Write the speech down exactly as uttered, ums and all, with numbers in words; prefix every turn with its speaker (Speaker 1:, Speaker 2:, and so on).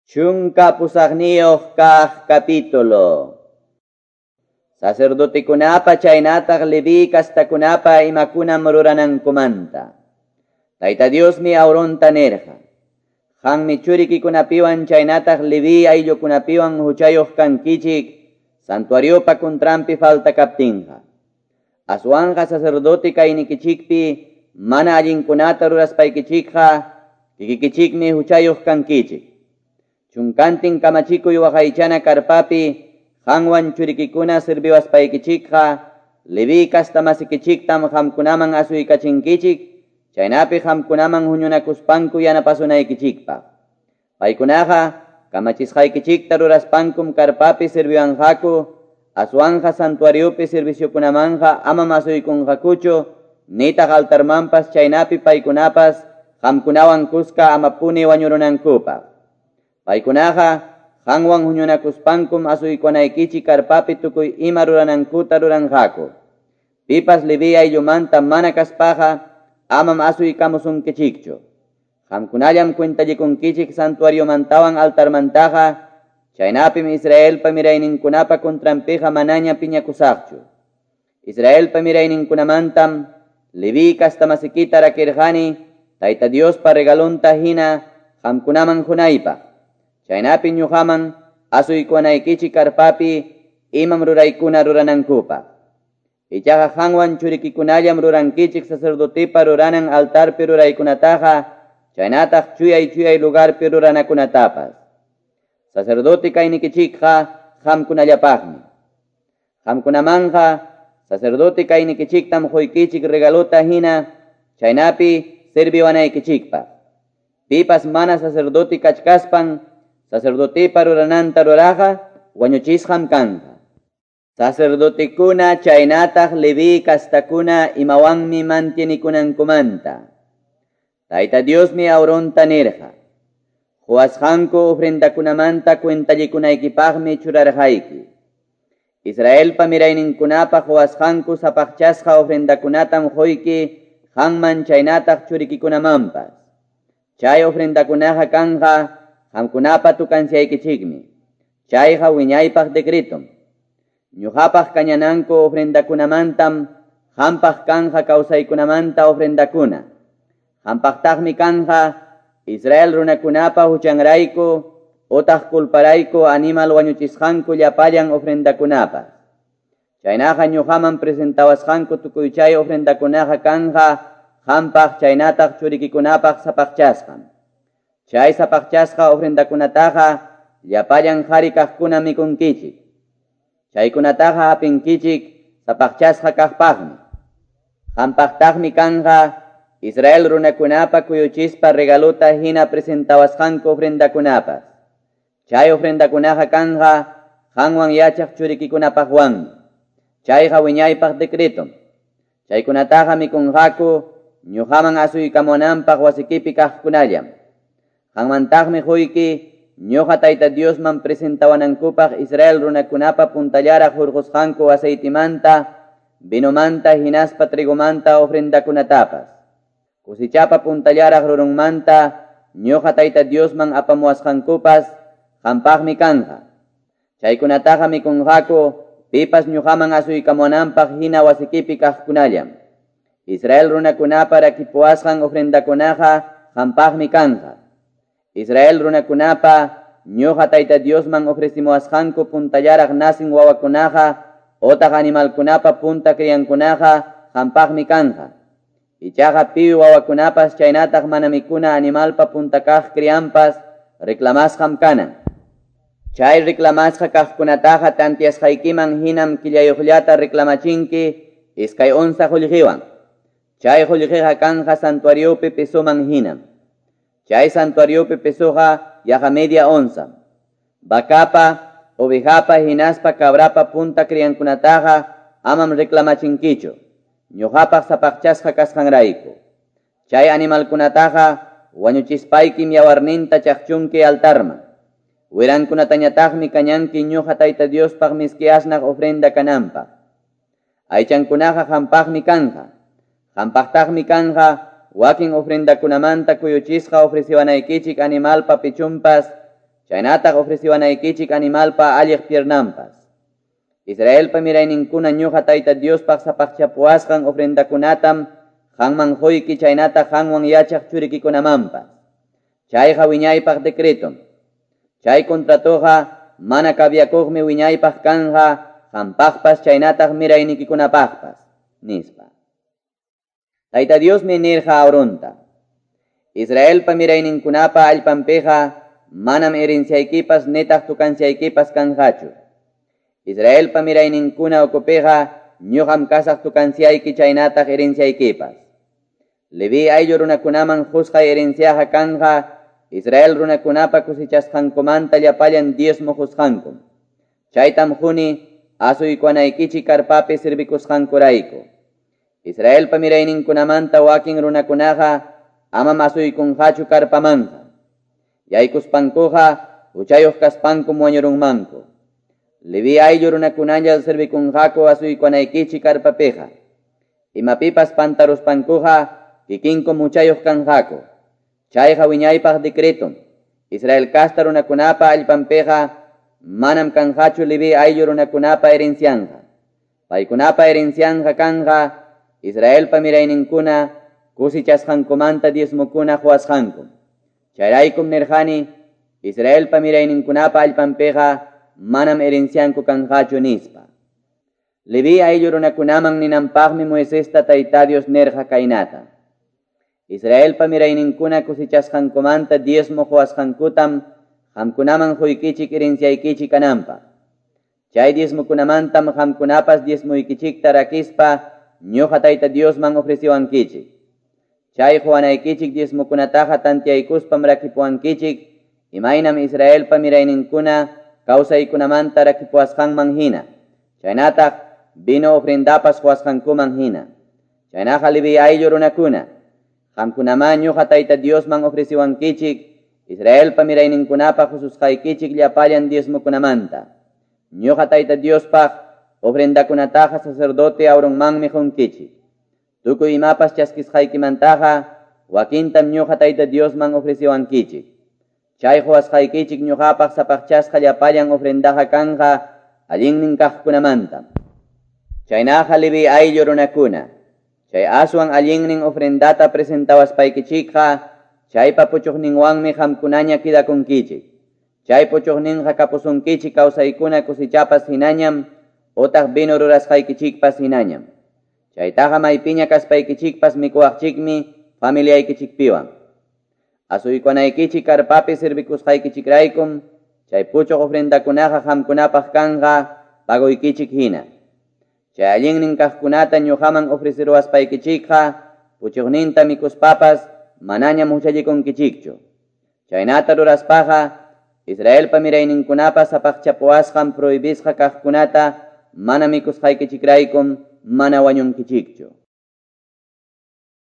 Speaker 1: Chunka pusaqniyuq kaq capítulo. Sacerdotekunapa chaynataq Leví kastakunapa imakunam ruranankumanta. Tayta Diosmi Aaronta nirqa: Qanmi churikikunapiwan chaynataq Leví ayllukunapiwan huchayuq kankichik santuariopa contranpi falta kaptinqa. Aswanqa sacerdote kaynikichikpi mana allinkunata ruraspaykichikqa kikikichikmi huchayuq kankichik. Chunkantin kamachikuy waqaychana karpapi qanwan churikikuna sirviwaspaykichikqa Leví kastamasikichiktam qamkunaman asuykachinkichik chaynapi qamkunaman huñunakuspanku yanapasunaykichikpaq. Paykunaqa kamachisqaykichikta ruraspankum karpapi sirviwanqaku, aswanqa santuariopi serviciokunamanqa amam asuykunqakuchu nitaq altarmanpas chaynapi paykunapas qamkunawan kuska amapuni wañurunankupaq. Paykunaqa qanwan huñunakuspankum asuykunaykichik karpapi tukuy ima ruranankuta ruranqaku. Pipas Leví ayllumanta mana kaspaqa amam asuykamusunkichikchu. Qamkunallam cuentallikunkichik santuariomantawan altarmantaqa, chaynapim Israelpa mirayninkunapa contranpiqa manaña piñakusaqchu. Israelpa mirayninkunamantam Leví kastamasikita rakirqani Tayta Diospa regalonta hina qamkunaman hunaypaq. Chaynapi ñuqaman asuykuwanaykichik karpapi imam ruraykuna ruranankupaq. Ichaqa qanwan churikikunallam rurankichik sacerdotepa ruranan altarpi ruraykunataqa, chaynataq chuyay chuyay lugarpi ruranakunatapas. Sacerdote kaynikichikqa qamkunallapaqmi. Qamkunamanqa sacerdote kaynikichiktam quykichik regalota hina chaynapi serviwanaykichikpaq. Pipas mana sacerdote kachkaspan sacerdotepa rurananta ruraqa wañuchisqam kanqa. Sacerdotekuna chaynataq Leví kastakuna imawanmi mantienikunankumanta. Tayta Diosmi Aaronta nirqa: Quwasqanku ofrendakunamanta cuentallikunaykipaqmi churarqayki. Israelpa mirayninkunapa quwasqanku sapaqchasqa ofrendakunatam quyki qanman chaynataq churikikunamanpas. Chay ofrendakunaqa kanqa qamkunapa tukansiaykichikmi. Chayqa wiñaypaq decretom. Ñuqapaq kañananku ofrendakunamantam qampaq kanja kawsaykunamanta ofrendakuna. Qampaqtaqmi kanja Israel runakunapa huchanrayku otaq culparayku animal wañuchisqanku llapallan ofrendakunapas. Chaynaqa ñuqaman presentawasqanku tukuy chay ofrendakunaqa kanja qampaq chaynataq churikikunapaq sapaqchasqam. Chay sapaqchasqa ofrendakunataqa llapallan qhari kaqkuna mikunkichik. Chaykunataqa hapinkichik sapaqchasqa kaqpaqmi. Qampaqtaqmi kanja Israel runakunapa kuyuchispa regalota hina presentawasqanku ofrendakunapas. Chay ofrendakunaqa kanja qanwan yachaq churikikunapaqwanmi. Chayqa wiñaypaq decretom. Chaykunataqa mikunqaku ñuqaman asuykamunanpaq wasikipi kaqkunallam. Qanmantaqmi quyki ñuqa Tayta Diosman presentawanankupaq Israel runakunapa puntallaraq hurqusqanku aceitimanta, vinomanta hinaspa trigomanta ofrendakunatapas. Cosechapa puntallaraq rurunmanta ñuqa Tayta Diosman apamuwasqankupas qampaqmi kanja. Chaykunataqa mikunqaku pipas ñuqaman asuykamunanpaq hina wasikipi kaqkunallam. Israel runakunapa rakipuwasqan ofrendakunaqa qampaqmi kanja. Israel runakunapa ñuqa Tayta Diosman ofrecimuwasqanku puntallaraq nacin wawakunaqa otaq animalkunapa punta criankunaqa qampaqmi kanja. Ichaqa piwi wawakunapas chaynataq mana mikuna animalpa punta kaq crianpas reclamasqam kanan. Chay reclamasqa kaqkunataqa tantiasqaykiman hinam killayuqllata reclamachinki iskay onza qullqiwan. Chay qullqiqa kanja santuariopi pesoman hinam. Chay santuariopi pesoqa yaqa media onza. Vacapa, ovejapa, hinaspa, cabrapa punta criankunataqa amam reclamachinkichu. Ñuqapaq sapaqchasqa kasqanrayku. Chay animalkunataqa wañuchispaykim yawarninta chaqchunki altarman. Wirankunatañataqmi kañanki ñuqa Tayta Diospaq miski asnaq ofrenda kananpaq. Aychankunaqa qampaqmi kanja. Qampaqtaqmi kanja wakin ofrendakunamanta kuyuchisqa ofreciwanaykichik animalpa pichunpas, Chaynataq ofreciwanaykichik animalpa alliq piernanpas. Israelpa mirayninkuna ñuqa Tayta Diospaq sapaqchapuwasqan ofrendakunatam qanman quyki chaynataq qanwan yachaq churikikunamanpas. Chayqa wiñaypaq decretom. Chay contratoqa mana kabiakuqmi wiñaypaq kanja qampaqpas chaynataq miraynikikunapaqpas, nispa. Tayta Diosmi nirqa Aaronta: Israelpa mirayninkunapa allpanpiqa manam herenciaykipas nitaq tukanciaykipas kanqachu. Israelpa mirayninkuna ukupiqa ñuqam kasaq tukanciayki chaynataq herenciaykipas. Leví ayllu runakunaman qusqay herenciaqa kanja Israel runakunapa cosechasqankumanta llapallan diezmo qusqankum. Chaytam quni asuykuwanaykichik karpapi servikusqankurayku. Israelpa mirayninkunamanta wakin runakunaqa amam asuykunqachu karpamanqa. Yaykuspankuqa huchayuq kaspankum wañurunmanku. Leví ayllu runakunalla servikunqaku asuykuwanaykichik karpapiqa. Imapipas pantaruspankuqa kikinkum huchayuq kanqaku. Chayqa wiñaypaq decretom. Israel casta runakunapa allpanpiqa manam kanqachu Leví ayllu runakunapa herencianqa. Paykunapa herencianqa kanja Israelpa mirayninkuna cosechasqankumanta diezmokuna quwasqankum. Chayraykum nirqani Israelpa mirayninkunapa allpanpiqa manam herencianku kanqachu nispa. Leví ayllu runakunaman ninanpaqmi Moisesta Tayta Dios nirqa kaynata: Israelpa mirayninkuna cosechasqankumanta diezmo quwasqankutam qamkunaman quykichik herenciaykichik kananpaq. Chay diezmokunamantam qamkunapas diezmoykichikta rakispa ñuqa Tayta Diosman ofreciwankichik. Chay quwanaykichik diezmokunataqa tantiaykuspam rakipuwankichik imaynam Israelpa mirayninkuna kawsaykunamanta rakipuwasqanman hina, chaynataq vino ofrendapas quwasqankuman hina. Chaynaqa Leví ayllu runakuna, qamkunaman ñuqa Tayta Diosman ofreciwankichik Israelpa mirayninkunapa qususqaykichik llapallan diezmokunamanta. Ñuqa Tayta Diospaq ofrendakunataqa sacerdote Aaronmanmi qunkichik. Tukuy imapas chaskisqaykimantaqa wakintam ñuqa Tayta Diosman ofreciwankichik. Chay quwasqaykichik ñuqapaq sapaqchasqa llapallan ofrendaqa kanja allinnin kaqkunamanta. Chaynaqa Leví ayllu runakuna, chay aswan allinnin ofrendata presentawaspaykichikqa chaypa puchuqninwanmi qamkunaña kidakunkichik. Chay puchuqninqa kapusunkichik kawsaykuna cosechapas hinañam otaq vino rurasqaykichikpas hinañam. Chaytaqa maypiña kaspaykichikpas mikuwaqchikmi familiaykichikpiwan. Asuykuwanaykichik karpapi servikusqaykichikraykum chay puchuq ofrendakunaqa qamkunapaq kanja pagoykichik hina. Chay allinnin kaqkunata ñuqaman ofreciruwaspaykichikqa puchuqninta mikuspapas manañam huchallikunkichikchu. Chaynata ruraspaqa Israelpa mirayninkunapa sapaqchapuwasqan prohibisqa kaqkunata mana mikusqaykichikraykum mana wañunkichikchu.